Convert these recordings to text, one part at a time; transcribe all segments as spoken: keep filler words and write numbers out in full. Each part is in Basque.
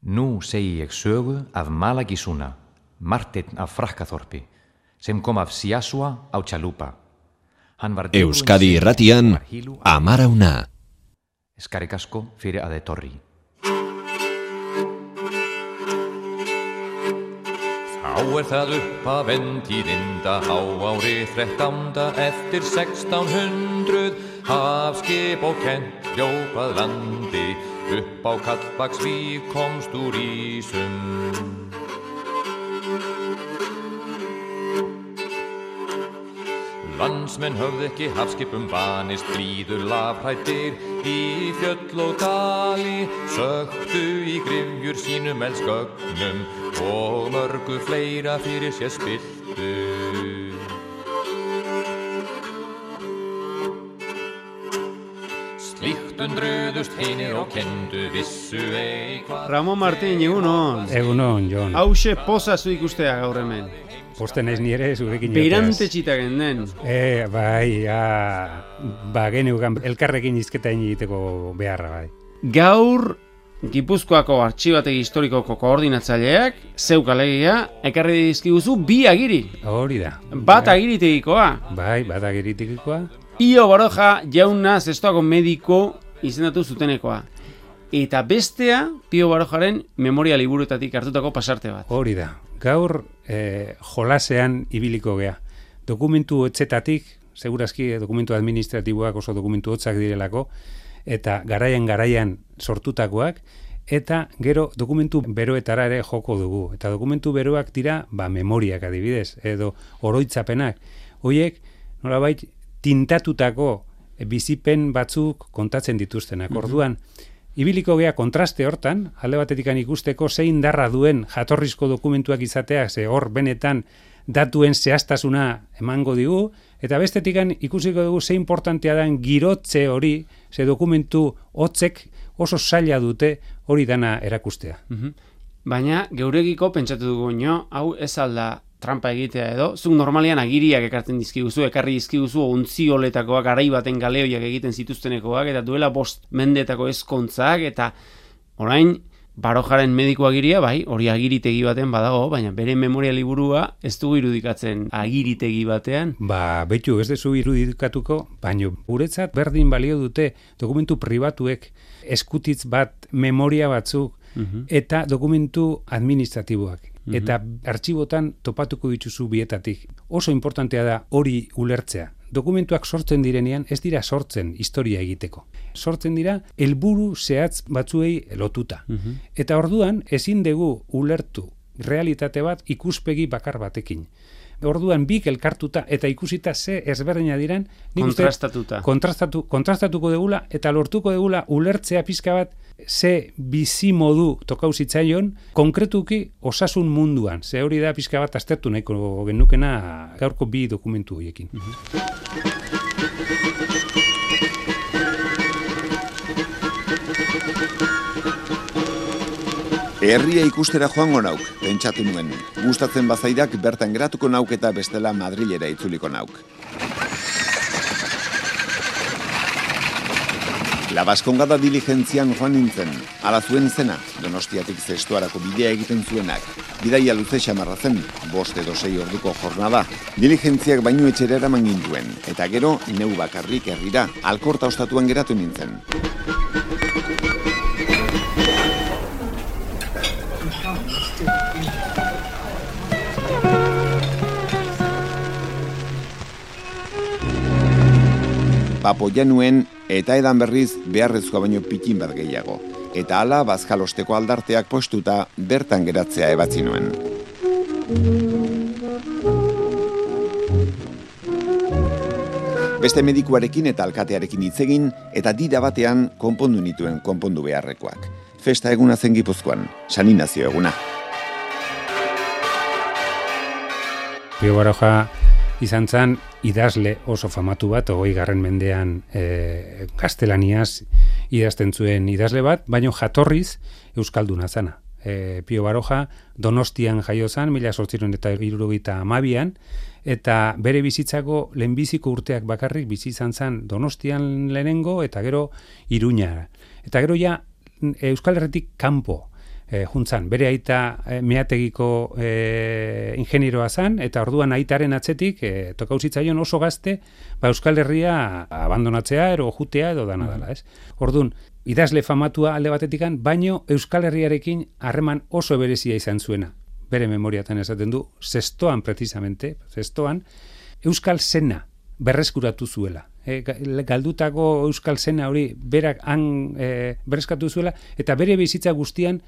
Nú segi ég sögu af Malagisuna, Marteinn af Frakkaþorpi, sem kom af Siasua á Chalupa. Euskadi irratian, Amara una. Eskerrik asko fyrir að etorri. Þá er það upp að ventíðinda á ári þrettánda eftir sextán hundruð. Hafskip og kennt hljópað landi, upp á Kallbaksvík komst úr ísum. Landsmenn höfðu ekki hafskipum vanist, blíður lafhræddir í fjöll og dali, söktu í gryfjur sínum elskögnum og mörgu fleira fyrir sér spilltu. Slíkt undruðust hinir og kendu vissu eitthvað. Ramon Martín, egunon. Egunon, Jon. Hauxe pozazu ikustea gaur hemen. Posten ez nire zurekin joteaz. Beirante txitagen den. E, bai, ja, ba, geneukan elkarrekin izketa egiteko beharra, bai. Gaur, Gipuzkoako Artxibategi Historikoko koordinatzaileak, zeuk alegia, ekarri dizkiguzu bi agiri. Hori da. Bat agiritegikoa. Bai, bat agiritegikoa. Pio Baroja jauna zestoako mediko izendatu zutenekoa. Eta bestea, Pio Barojaren memoria liburuetatik hartutako pasarte bat. Hori da. Gaur eh, jolasean ibiliko gea. Dokumentu hotzetatik, segurazki dokumentu administratiboak oso dokumentu hotzak direlako, eta garaian garaian sortutakoak, eta gero dokumentu beroetara ere joko dugu. Eta dokumentu beroak dira, ba, memoriak adibidez, edo oroitzapenak. Hoiek, nolabait, tintatutako bizipen batzuk kontatzen dituztenak. Orduan, ibiliko gea kontraste hortan, alde batetikan ikusteko zein darra duen jatorrizko dokumentuak izateak, ze hor benetan datuen zehaztasuna emango digu, eta bestetikan ikusiko dugu ze importantea den girotze hori, ze dokumentu hotzek oso zaila dute hori dana erakustea. Mm-hmm. Baina, geuregiko pentsatu dugu nio, hau ez alda trampa egitea edo, zuk normalian agiriak ekartzen dizkiguzu, ekarri dizkiguzu ontzioletakoak, garai baten galeoiak egiten zituztenekoak, eta duela bost mendetako ezkontzak, eta orain Barojaren mediko agiria, bai, hori agiritegi baten badago, baina bere memoria liburua ez dugu irudikatzen agiritegi batean. Ba, beitu, ez dezu irudikatuko, baina guretzat berdin balio dute dokumentu pribatuek eskutitz bat memoria batzuk, uh-huh. eta dokumentu administratiboak. Eta artxibotan topatuko dituzu bietatik. Oso importantea da hori ulertzea. Dokumentuak sortzen direnean ez dira sortzen historia egiteko. Sortzen dira helburu zehatz batzuei lotuta. Uh-huh. Eta orduan ezin dugu ulertu realitate bat ikuspegi bakar batekin. Orduan bik elkartuta eta ikusita ze ezberdina diren, kontrastatuta. Kontrastatu, kontrastatuko degula eta lortuko degula ulertzea pizka bat ze bizi modu tokau zitzaion konkretuki osasun munduan. Ze hori da pizka bat aztertu nahiko genukena gaurko bi dokumentu horiekin. Uh-huh. Herria ikustera joango nauk, pentsatu nuen. Gustatzen bazaidak bertan geratuko nauk eta bestela Madrilera itzuliko nauk. La Baskongada diligentzian joan nintzen, ala zuen zena, Donostiatik Zestoarako bidea egiten zuenak. Bidaia luze xamarra zen, bost edo sei orduko jornada. Diligentziak bainu etxera eraman gintuen, eta gero neu bakarrik herrira, Alkorta ostatuan geratu nintzen. Papo januen eta edan berriz beharrezkoa baino pikin bat gehiago. Eta hala bazkalosteko aldarteak postuta bertan geratzea ebatzi nuen. Beste medikuarekin eta alkatearekin hitz egin eta dida batean konpondu nituen konpondu beharrekoak. Festa eguna zen Gipuzkoan, San Inazio eguna. Pio Baroja izan zen idazle oso famatu bat, hogei garren mendean e, gaztelaniaz idazten zuen idazle bat, baina jatorriz euskalduna zana. E, Pio Baroja Donostian jaio zen, mila zortziehun eta hirurogeita hamabian, eta bere bizitzako lehenbiziko urteak bakarrik bizi izan zen Donostian lehenengo eta gero Iruñara. Eta gero ja Euskal Herritik kanpo e, juntzan, bere aita e, meategiko e, ingenieroa zan, eta orduan aitaren atzetik e, tokauzitzaion oso gazte, ba Euskal Herria abandonatzea, ero jutea edo dana dela, ez? Orduan, idazle famatua alde batetikan, baino Euskal Herriarekin harreman oso berezia izan zuena. Bere memoriatan esaten du, zestoan precisamente, zestoan, Euskal Sena berreskuratu zuela. E, galdutako Euskal Sena hori berak han e, berreskatu zuela, eta bere bizitza guztian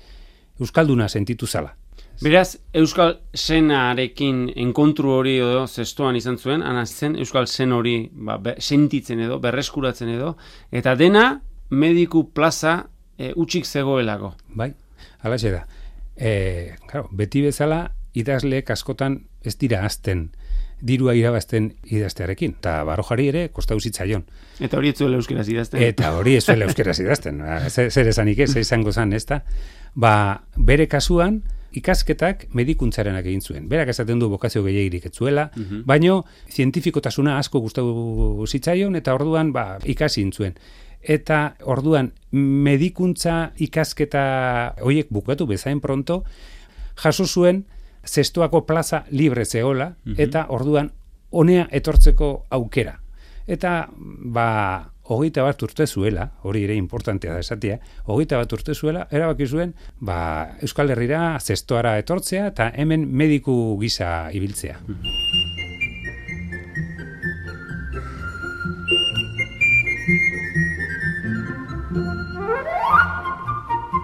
Euskalduna sentitu zala. Beraz, Euskal Senarekin enkontru hori edo zestoan izan zuen, ana zen Euskal Sen hori ba, be, sentitzen edo, berreskuratzen edo, eta dena mediku plaza e, utxik zegoelako. Bai, halaxe da. E, claro, beti bezala idazleek askotan ez dira azten dirua irabazten idaztearekin, eta Barojari ere kostau zitzaion. Eta hori ez zuela euskeraz idazten. Eta hori ez zuela euskeraz idazten. Zer esanik ez, izango zan, ez da? Ba, bere kasuan, ikasketak medikuntzarenak egin zuen. Berak esaten du bokazio gehiagirik ez zuela, uh-huh. baino zientifikotasuna asko gustatu zitzaion, eta orduan ba, ikasi zuen. Eta orduan medikuntza ikasketa horiek bukatu bezain pronto, jaso zuen zestoako plaza libre zegoela, uh-huh. eta orduan honea etortzeko aukera. Eta, ba, hogeita bat urte zuela, hori ere importantea da esatia, hogeita bat urte zuela, erabaki zuen, ba, Euskal Herrira zestoara etortzea, eta hemen mediku gisa ibiltzea. Uh-huh.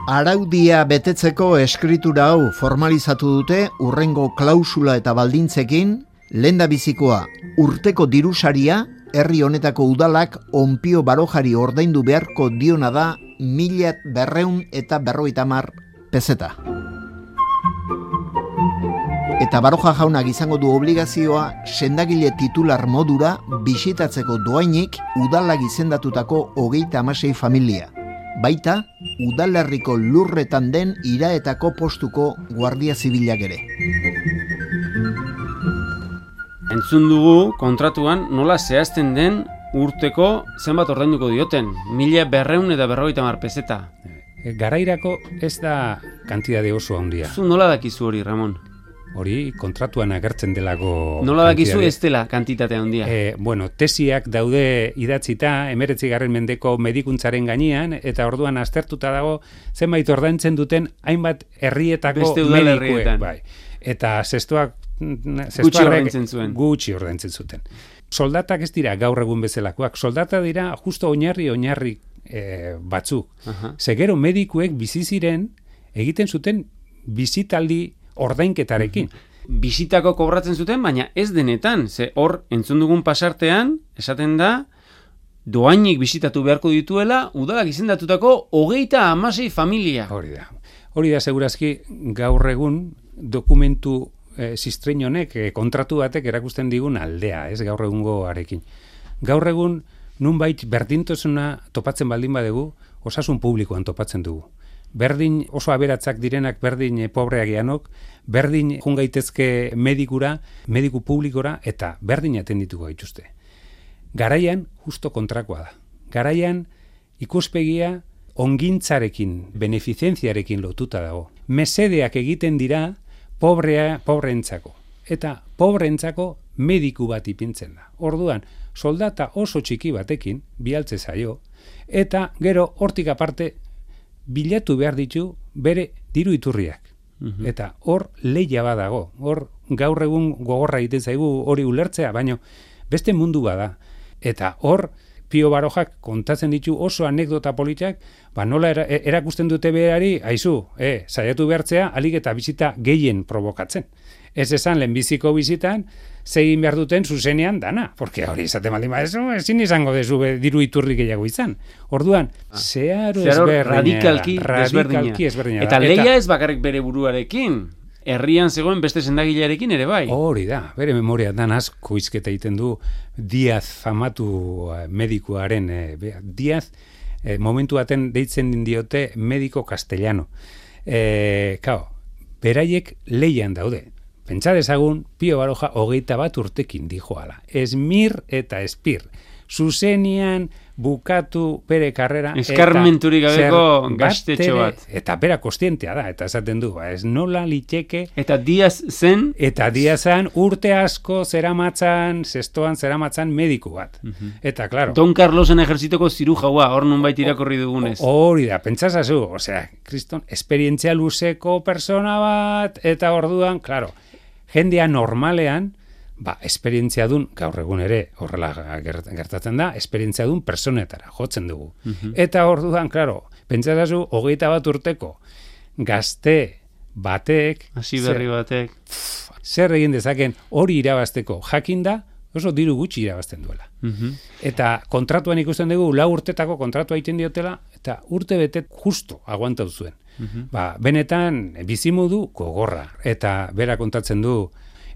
Araudia betetzeko eskritura hau formalizatu dute urrengo klausula eta baldintzekin, lehendabizikoa urteko dirusaria herri honetako udalak Onpio Barojari ordaindu beharko diona da mila berreun eta berrogeita hamar pezeta. Eta Baroja jaunak izango du obligazioa sendagile titular modura bisitatzeko doainik udalak izendatutako hogeita hamasei familia. Baita, udalerriko lurretan den iraetako postuko guardia zibilak ere. Entzun dugu kontratuan nola zehazten den urteko zenbat ordainduko dioten, mila berreun eta berrogeita hamar pezeta. Garairako ez da kantidade oso handia. Zu nola dakizu hori, Ramon? Hori kontratuan agertzen delako... Nola dakizu ez dela kantitate handia? E, bueno, tesiak daude idatzita, emeretzigarren mendeko medikuntzaren gainean, eta orduan aztertuta dago zenbait ordaintzen duten hainbat herrietako medikuek. Bai. Eta zestoak... Gutxi ordaintzen zuen. Gutxi ordaintzen zuten. Soldatak ez dira gaur egun bezalakoak. Soldata dira justo oinarri-oinarri e, batzuk. Uh-huh. Zegero medikuek bizi ziren egiten zuten bizitaldi ordainketarekin. Bisitako kobratzen zuten, baina ez denetan. Ze hor, entzun dugun pasartean, esaten da, doainik bisitatu beharko dituela, udalak izendatutako hogeita hamasei familia. Hori da. Hori da, segurazki, gaur egun dokumentu eh, sistrein honek, eh, kontratu batek erakusten digun aldea, ez gaur egungo arekin. Gaur egun, nunbait berdintasuna topatzen baldin badegu, osasun publikoan topatzen dugu. Berdin oso aberatzak direnak berdin pobreak geanok, berdin jungaitezke medikura, mediku publikora, eta berdin atendituko gaituzte. Garaian, justo kontrakoa da. Garaian, ikuspegia ongintzarekin, beneficentziarekin lotuta dago. Mesedeak egiten dira pobrea, pobreentzako. Eta pobreentzako mediku bat ipintzen da. Orduan, soldata oso txiki batekin, bialtze zaio, eta gero hortik aparte, bilatu behar ditu bere diru iturriak. Uh-huh. Eta hor lehia badago. Hor gaur egun gogorra egiten zaigu hori ulertzea, baino beste mundu bada. Eta hor Pio Barojak kontatzen ditu oso anekdota politak, ba nola era, erakusten dute berari, aizu, eh, saiatu behartzea, alik eta bizita gehien provokatzen. Ez esan lehenbiziko bizitan, zegin behar duten zuzenean dana, porque hori izaten baldin badezu, ezin izango dezu diru iturri gehiago izan. Orduan, ah. zeharo ezberdina. Radikalki, radikalki ezberdina. Eta leia ez bakarrik bere buruarekin, herrian zegoen beste sendagilearekin ere bai. Hori da, bere memoria dan asko izketa egiten du Diaz famatu medikuaren, eh, Diaz eh, momentu baten deitzen diote mediko castellano. Eh, kao, beraiek leian daude. Pentsa dezagun, Pio Baroja hogeita bat urtekin dijoala. Esmir eta espir. zuzenian bukatu bere karrera. Eskarmenturik gabeko gaztetxo bat. Eta bera kostientea da, eta esaten du, ba, ez nola liteke. Eta Diaz zen? Eta Diaz zen urte asko zeramatzan, zestoan zeramatzan mediku bat. Uh-huh. Eta, klaro. Don Carlosen ejerzitoko zirujaua, hor nun baita irakorri dugunez. Hori da, pentsasazu, osea, kriston, esperientzia luzeko persona bat, eta orduan, klaro, jendea normalean, ba, esperientzia dun, gaur egun ere, horrela gertatzen da, esperientzia dun personetara, jotzen dugu. Uh-huh. Eta orduan, klaro, pentsasazu, hogeita bat urteko, gazte batek, hasi berri batek, pff, zer egin dezaken hori irabazteko jakinda, oso diru gutxi irabazten duela. Uh-huh. Eta kontratuan ikusten dugu, lau urtetako kontratua egiten diotela, eta urte bete justo aguantau zuen. Uh-huh. Ba, benetan, bizimudu gogorra, eta bera kontatzen du,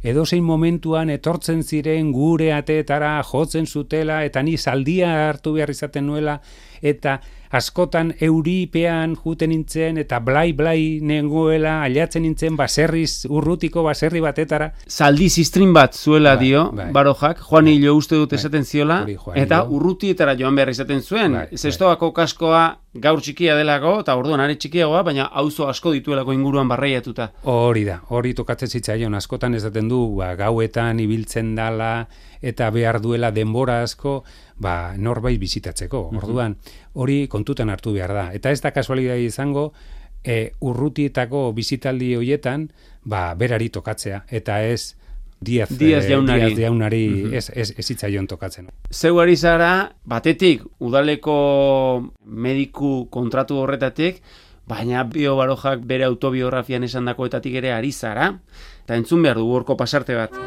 edozein momentuan etortzen ziren gure ateetara jotzen zutela, eta ni zaldia hartu behar izaten nuela, eta askotan euripean juten nintzen, eta blai-blai nengoela, aliatzen nintzen baserriz, urrutiko baserri batetara. Zaldi ziztrin bat zuela bai, dio, bai. Barojak, Juan Hilo uste dut bai, esaten ziola, Juan eta Hilo. urrutietara joan behar izaten zuen. Bai, Zestoako kaskoa gaur txikia delako, eta orduan are txikiagoa, baina auzo asko dituelako inguruan barreiatuta. Hori da, hori tokatzen zitzaion, askotan esaten du, ba, gauetan ibiltzen dala, eta behar duela denbora asko, ba, norbait bizitatzeko. Orduan, hori kontutan hartu behar da. Eta ez da kasualidade izango, e, urrutietako bizitaldi hoietan, ba, berari tokatzea, eta ez Diaz, Diaz jaunari, Diaz jaunari uh-huh. ez, ez, ez zitzaion tokatzen. Zeu ari zara, batetik, udaleko mediku kontratu horretatik, baina Pio Barojak bere autobiografian esandakoetatik ere ari zara, eta entzun behar dugu horko pasarte bat.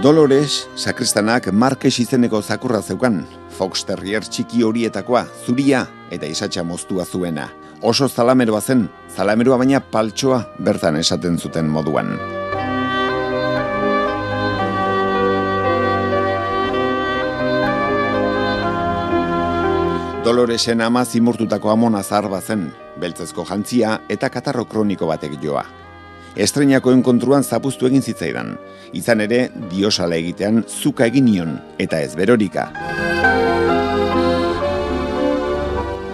Dolores, sakristanak Markes izeneko zakurra zeukan, Fox Terrier txiki horietakoa, zuria eta isatxa moztua zuena. Oso zalameroa zen, zalameroa baina paltsoa bertan esaten zuten moduan. Doloresen ama zimurtutako amona zahar zen, beltzezko jantzia eta katarro kroniko batek joa. Estreinako enkontruan zapuztu egin zitzaidan, izan ere diosala egitean zuka egin nion eta ez berorika.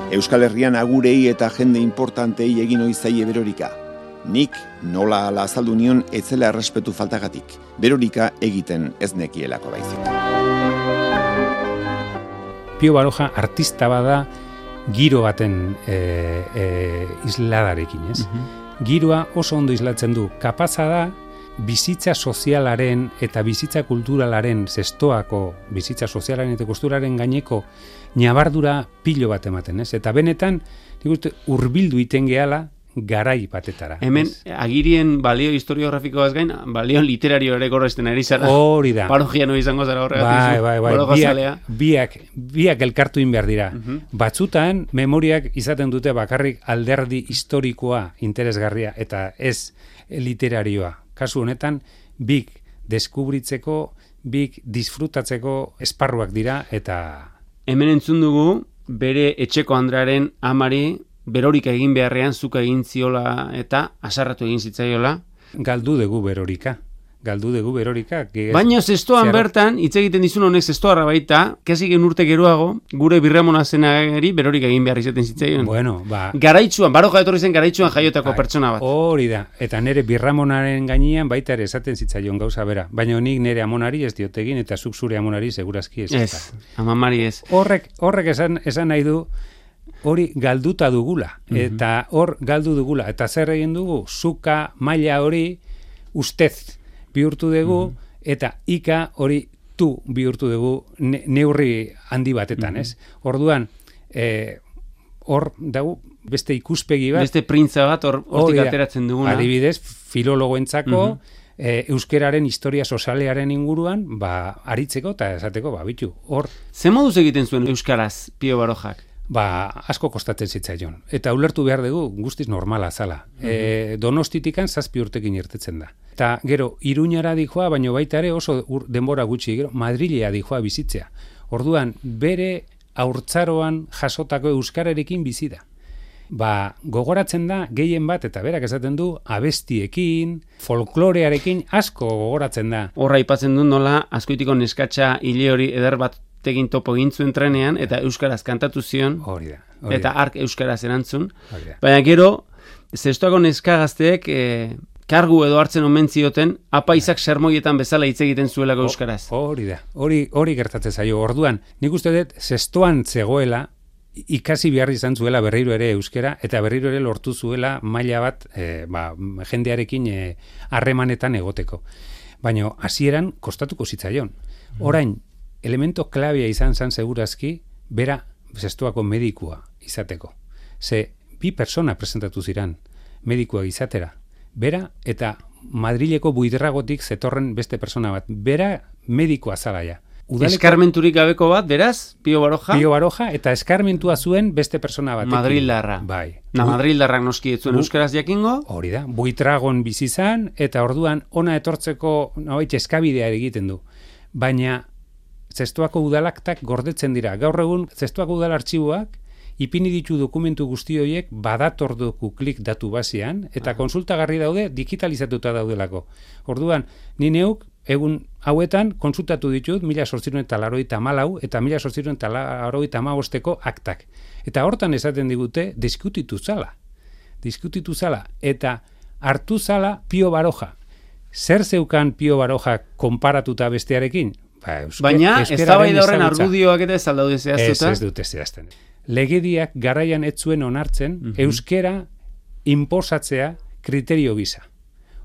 Euskal Herrian agurei eta jende importantei egin oizaie berorika. Nik nola ala azaldu nion etzela errespetu faltagatik, berorika egiten ez nekielako baizik. Pio Baroja artista bada giro baten e, e, isladarekin, ez? Uh-huh. Giroa oso ondo islatzen du, kapaza da bizitza sozialaren eta bizitza kulturalaren zestoako bizitza sozialaren eta kulturaren gaineko ñabardura pilo bat ematen, ez? Eta benetan, nik uste, hurbildu iten gehala garai batetara. Hemen, ez? agirien balio historiografikoaz gain, balio literario ere gorrezten ari zara. Hori da. Parojiano izango zara horregatik. Bai, bai, bai. Biak, biak, biak elkartu inbehar dira. Uh-huh. Batzutan, memoriak izaten dute bakarrik alderdi historikoa interesgarria eta ez literarioa. Kasu honetan, bik deskubritzeko, bik disfrutatzeko esparruak dira eta... Hemen entzun dugu, bere etxeko Andrearen amari berorika egin beharrean zuka egin ziola eta asarratu egin zitzaiola. Galdu dugu berorika. Galdu dugu berorika. Baina zestoan ziarra... bertan, hitz egiten dizun honek zestoarra baita, kasi gen urte geroago, gure birramona zenari berorika egin behar izaten zitzaion. Bueno, ba... Garaitzuan, Baroja etorri zen garaitzuan jaiotako ba, pertsona bat. Hori da. Eta nere birramonaren gainean baita ere esaten zitzaion gauza bera. Baina nik nere amonari ez diotegin eta zuk zure amonari segurazki ez. Ez, amamari ez. Horrek, horrek esan, esan nahi du, hori galduta dugula, uh-huh. eta hor galdu dugula, eta zer egin dugu, zuka maila hori ustez bihurtu dugu, uh-huh. eta ika hori tu bihurtu dugu ne, neurri handi batetan, uh-huh. ez? Orduan, eh, hor dago beste ikuspegi bat, beste printza bat hor hortik ateratzen duguna. Adibidez, filologoentzako, uh-huh. eh, euskeraren historia sozialearen inguruan, ba, aritzeko eta esateko, ba, bitu, hor... Ze moduz egiten zuen euskaraz, Pio Barojak? Ba, asko kostatzen zitzaion. Eta ulertu behar dugu guztiz normala zala. Mm-hmm. E, Donostitikan zazpi urtekin irtetzen da. Eta gero, Iruñara dijoa, baino baita ere oso ur, denbora gutxi, gero, Madrilea dijoa bizitzea. Orduan, bere haurtzaroan jasotako euskararekin bizi da. Ba, gogoratzen da gehien bat, eta berak esaten du, abestiekin, folklorearekin asko gogoratzen da. Horra aipatzen du nola, Azkoitiko neskatxa hile hori eder bat egin topo egin zuen trenean, eta euskaraz kantatu zion, hori da, hori eta da. ark euskaraz erantzun. Hori da. Baina gero, zestoako neska gazteek, e, kargu edo hartzen omen zioten, apaisak sermoietan bezala hitz egiten zuelako euskaraz. Hori da, hori, hori gertatzen zaio. Orduan, nik uste dut, zestoan zegoela, ikasi behar izan zuela berriro ere euskera, eta berriro ere lortu zuela maila bat e, ba, jendearekin harremanetan e, egoteko. Baina hasieran kostatuko zitzaion. Orain, elemento klabea izan zan segurazki, bera zestoako medikua izateko. Ze bi persona presentatu ziran medikua izatera. Bera eta Madrileko buidragotik zetorren beste persona bat. Bera medikoa zalaia. Udaleko, eskarmenturik gabeko bat, beraz, Pio Baroja? Pio Baroja, eta eskarmentua zuen beste persona batekin. Madrildarra. Bai. Na, Madrildarrak noski etzuen euskaraz jakingo? Hori da, buitragon bizi izan, eta orduan ona etortzeko nabait eskabidea egiten du. Baina, zestoako udalaktak gordetzen dira. Gaur egun, zestoako udal artxiboak, ipini ditu dokumentu guzti horiek badatordoku klik datu basean, eta Aha. konsultagarri daude, digitalizatuta daudelako. Orduan, ni neuk, egun hauetan konsultatu ditut mila zortziehun eta laurogeita hamalau eta mila zortziehun eta laurogeita hamabosteko aktak. Eta hortan esaten digute diskutitu zala. Diskutitu zala. Eta hartu zala Pio Baroja. Zer zeukan Pio Baroja konparatuta bestearekin? Ba, euske, baina ez da bai da horren argudioak eta ez aldaude zehaztuta? Ez, ez dute zehazten. Legediak garaian ez zuen onartzen uh-huh. euskera inposatzea kriterio gisa.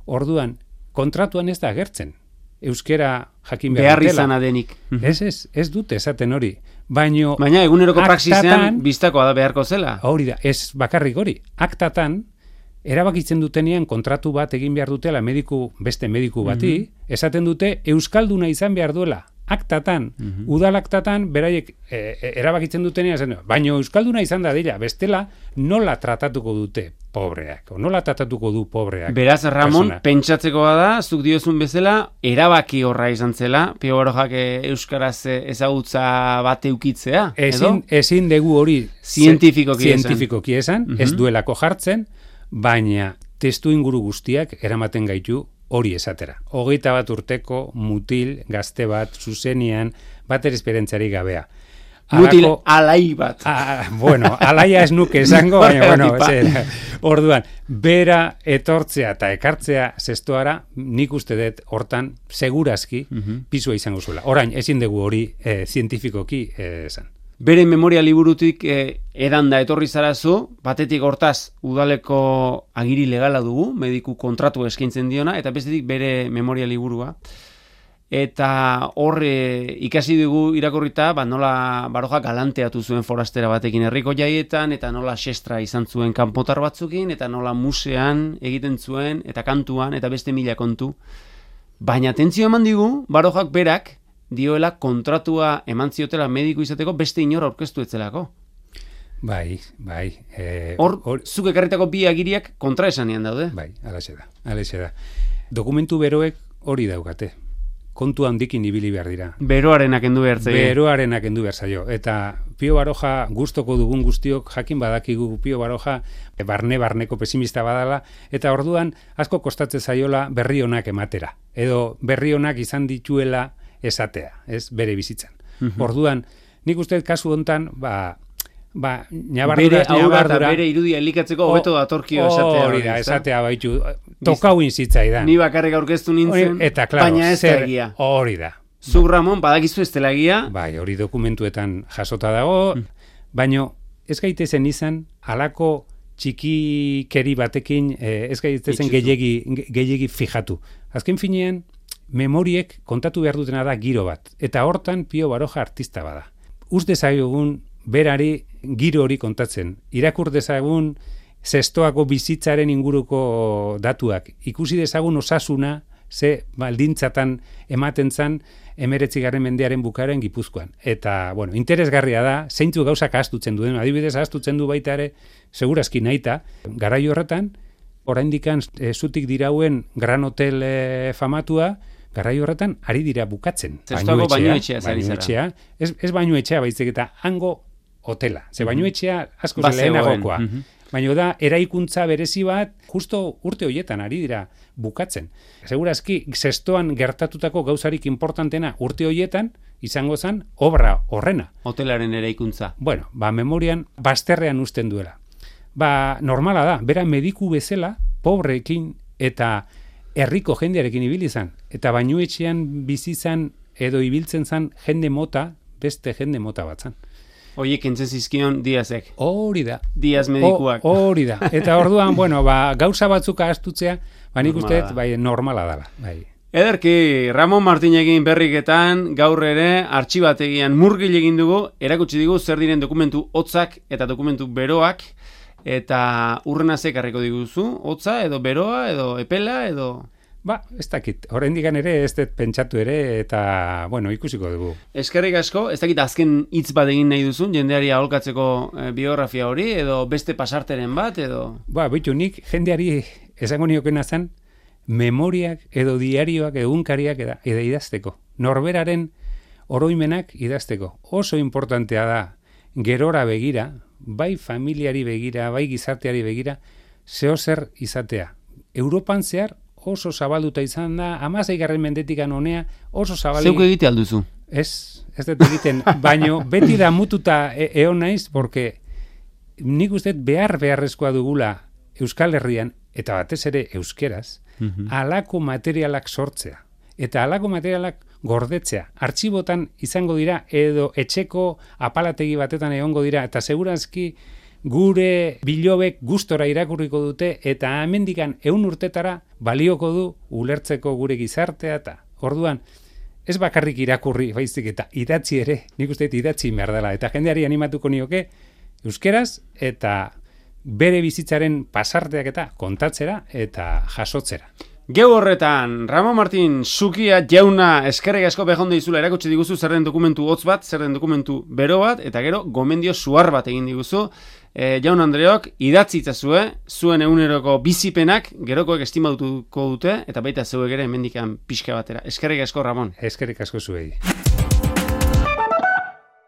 Orduan, kontratuan ez da agertzen. Euskera jakin behar, behar izana denik. Ez, ez, ez dute esaten hori. Baino, baina eguneroko praxisean biztakoa da beharko zela. Hori da, ez bakarrik hori. Aktatan, erabakitzen dutenean kontratu bat egin behar dutela mediku, beste mediku bati, mm-hmm. esaten dute euskalduna izan behar duela. Aktatan, mm-hmm. udalaktatan, beraiek e, e, erabakitzen dutenean, esaten, baino euskalduna izan da dira, bestela nola tratatuko dute pobreak, o nola tratatuko du pobreak. Beraz, Ramon, persona. Pentsatzekoa da, zuk diozun bezala, erabaki horra izan zela, Pio Barojak euskaraz ezagutza bat eukitzea, ezin, edo? Ezin dugu hori zientifikoki esan, zientifikoki esan mm-hmm. ez duelako jartzen, baina testu inguru guztiak eramaten gaitu hori esatera. Hogeita bat urteko mutil gazte bat zuzenian bater esperientziari gabea. Mutil Alako, alai bat. A, bueno, alaia ez nuke esango, baina, bueno, zera, orduan, bera etortzea eta ekartzea zestoara, nik uste dut hortan, segurazki, uh-huh. pisua izango zuela. Orain, ezin dugu hori eh, zientifikoki eh, esan. Bere memoria liburutik eh, edanda etorri zarazu, batetik hortaz udaleko agiri legala dugu, mediku kontratu eskaintzen diona, eta bestetik bere memoria liburua. Eta horre ikasi dugu irakurrita, ba, nola Baroja galanteatu zuen forastera batekin herriko jaietan, eta nola xestra izan zuen kanpotar batzukin, eta nola musean egiten zuen, eta kantuan, eta beste mila kontu. Baina atentzio eman digu, Barojak berak, dioela kontratua eman ziotela mediku izateko beste inor aurkeztu etzelako. Bai, bai. Eh, hor, or, zuk ekarritako bi agiriak kontraesanean daude. Bai, alaxe da, alaxe da. Dokumentu beroek hori daukate. Kontu handikin ibili behar dira. Beroarenak endu behar zaio. Beroarenak endu behar zaio. Eta Pio Baroja gustoko dugun guztiok jakin badakigu Pio Baroja barne-barneko pesimista badala, eta orduan asko kostatzen zaiola berri onak ematera. Edo berri onak izan dituela esatea, ez bere bizitzan. Uh-huh. Orduan, nik uste kasu hontan, ba, ba, nabardura, bere aurra eta bere irudia elikatzeko hobeto datorkio esatea. Hori da, esatea baitu, tokau inzitzaidan. Ni bakarrik aurkeztu nintzen, eta, claro, baina ez da egia. Hori da. Zuk, Ramon, badakizu ez dela egia. Bai, hori dokumentuetan jasota dago, mm. baina ez gaitezen izan, halako txikikeri batekin, eh, ez gaitezen gehiegi, gehiegi fijatu. Azken finean, memoriek kontatu behar dutena da giro bat. Eta hortan Pio Baroja artista bada. Uz dezagun berari giro hori kontatzen. Irakur dezagun zestoako bizitzaren inguruko datuak. Ikusi dezagun osasuna ze baldintzatan ematen zan emeretzigarren mendearen bukaeren Gipuzkoan. Eta, bueno, interesgarria da, zeintzu gauzak ahaztutzen duen. Adibidez, ahaztutzen du baita ere, segurazki nahita, garai horretan, oraindikan e, zutik dirauen Gran Hotel e, famatua, garai horretan ari dira bukatzen. Zestoako bainuetxea, bainuetxea, ez, ez bainuetxea baizik eta hango hotela. Ze bainuetxea asko mm-hmm. lehenagokoa. Mm-hmm. Baina da, eraikuntza berezi bat, justo urte horietan ari dira bukatzen. Segurazki, zestoan gertatutako gauzarik importantena urte horietan, izango zen, obra horrena. Hotelaren eraikuntza. Bueno, ba, memorian, bazterrean usten duela. Ba, normala da, bera mediku bezala, pobreekin eta herriko jendearekin ibili izan. Eta bainuetxean bizi izan edo ibiltzen zan jende mota, beste jende mota bat zan. Oiek entzen zizkion Diazek. Hori da. Diaz medikuak. Hori da. Eta orduan, bueno, ba, gauza batzuk ahaztutzea, ba nik uste, bai, normala dela. Bai. Ederki, Ramon Martinekin berriketan gaur ere artxibategian murgil egin dugu, erakutsi digu zer diren dokumentu hotzak eta dokumentu beroak, eta urrena zekarriko diguzu, hotza edo beroa edo epela edo... Ba, ez dakit, oraindikan ere ez dut pentsatu ere eta, bueno, ikusiko dugu. Eskerrik asko, ez dakit azken hitz bat egin nahi duzun, jendeari aholkatzeko e, biografia hori, edo beste pasarteren bat, edo... Ba, bitu, nik jendeari esango niokena zen, memoriak edo diarioak edo unkariak eda, eda idazteko. Norberaren oroimenak idazteko. Oso importantea da, gerora begira, bai familiari begira, bai gizarteari begira, zehozer izatea. Europan zehar, oso zabalduta izan da, hamaseigarren mendetikan honea, oso zabalik... Zeuk egite alduzu? Ez, ez dut egiten, baino beti da mututa e eon naiz, porque nik uste behar beharrezkoa dugula Euskal Herrian, eta batez ere euskeraz, mm-hmm. alako materialak sortzea. Eta alako materialak gordetzea. Artxibotan izango dira, edo etxeko apalategi batetan egongo dira, eta segurazki gure bilobek gustora irakurriko dute eta hemendikan ehun urtetara balioko du ulertzeko gure gizartea eta orduan ez bakarrik irakurri baizik eta idatzi ere, nik uste idatzi behar dela eta jendeari animatuko nioke euskeraz eta bere bizitzaren pasarteak eta kontatzera eta jasotzera. Geu horretan, Ramon Martin Zukia jauna eskerrik asko behondo dizula erakutsi diguzu zer den dokumentu hotz bat, zer den dokumentu bero bat, eta gero gomendio suar bat egin diguzu. E, jaun Andreok, idatzi itzazue, zuen eguneroko bizipenak, gerokoek estimatuko dute, eta baita zeuek ere hemendikan pixka batera. Eskerrik asko, Ramon. Eskerrik asko zuei.